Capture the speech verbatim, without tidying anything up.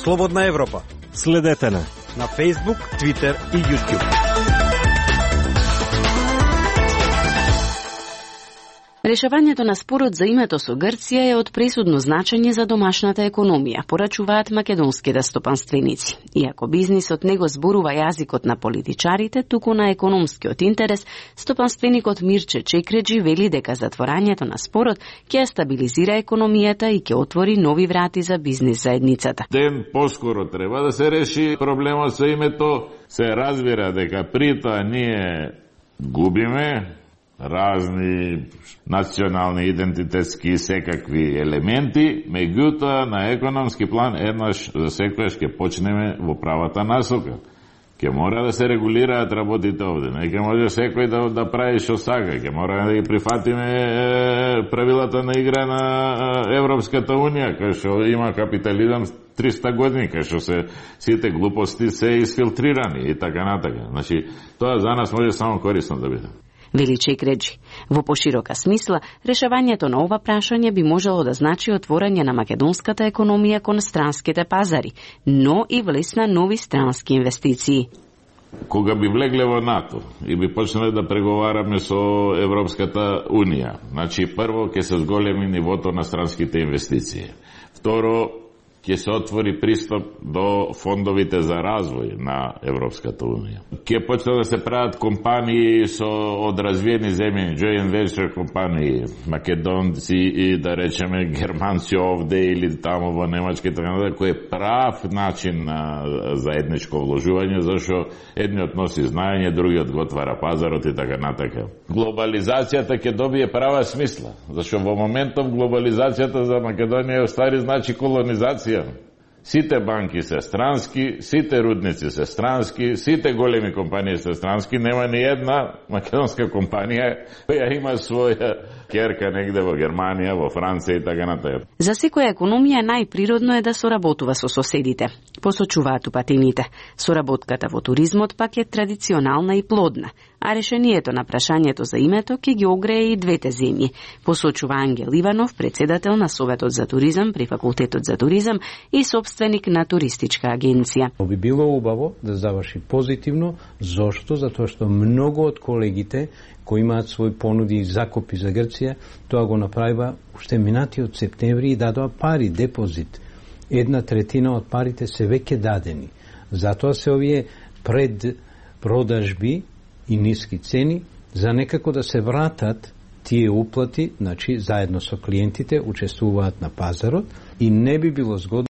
Слободна Европа. Следете на на Facebook, Twitter и YouTube. Решавањето на спорот за името со Грција е од пресудно значење за домашната економија, порачуваат македонските стопанственици. Иако бизнисот не го зборува јазикот на политичарите, туку на економскиот интерес, стопанственикот Мирче Чекреджи вели дека затворањето на спорот ќе стабилизира економијата и ќе отвори нови врати за бизнис заедницата. Ден поскоро треба да се реши проблемот со името. Се разбира дека при тоа ние губиме разни национални, идентитетски, секакви елементи, меѓутоа на економски план еднаш за секојаш ќе почнеме во правата насока. Ќе мора да се регулираат работите овде. Не ќе може секој да, да прави што сака. Ќе мора да ги прифатиме е, правилата на игра на е, Европската Унија, кај што има капитализам триста години, кај што се сите глупости се изфилтрирани и така натака. Значи, тоа за нас може само корисно да биде. Вели Чекреджи. Во поширока смисла, решавањето на ова прашање би можело да значи отворање на македонската економија кон странските пазари, но и влез на нови странски инвестиции. Кога би влегле во НАТО и би почнале да преговараме со Европската Унија, значи прво ќе се зголеми нивото на странските инвестиции. Второ, ќе се отвори пристап до фондовите за развој на Европската Унија. Ќе почнат да се прават компании со од развиени земји, joint venture компании, македонци и да речеме германци овде или тамо во Немачка и така натаму, кој е прав начин на заедничко вложување, зашто едниот носи знаење, другиот го отвара пазарот и така натака. Глобализацијата ќе добие права смисла, зашто во моментов глобализацијата за Македонија е стари значи колонизација. Сите банки се странски, сите рудници се странски, сите големи компании се странски, нема ни една македонска компанија која има своја керка негде во Германија, во Франција и така натаму. За секоја економија најприродно е да соработува со соседите, посочуваат упатените. Соработката во туризмот пак е традиционална и плодна, а решението на прашањето за името ќе ги огрее и двете земји, посочува Ангел Иванов, председател на Советот за туризам при Факултетот за туризам и собственик на туристичка агенција. Би било убаво да заврши позитивно, зошто? Затоа што многу од колегите кои имаат своји понуди и закупи за Грција, тоа го направива уште минатиот септември и дадоа пари, депозит. Една третина од парите се веќе дадени. Затоа се овие пред продажби и ниски цени за некако да се вратат тие уплати, значи заедно со клиентите учествуваат на пазарот и не би било згодно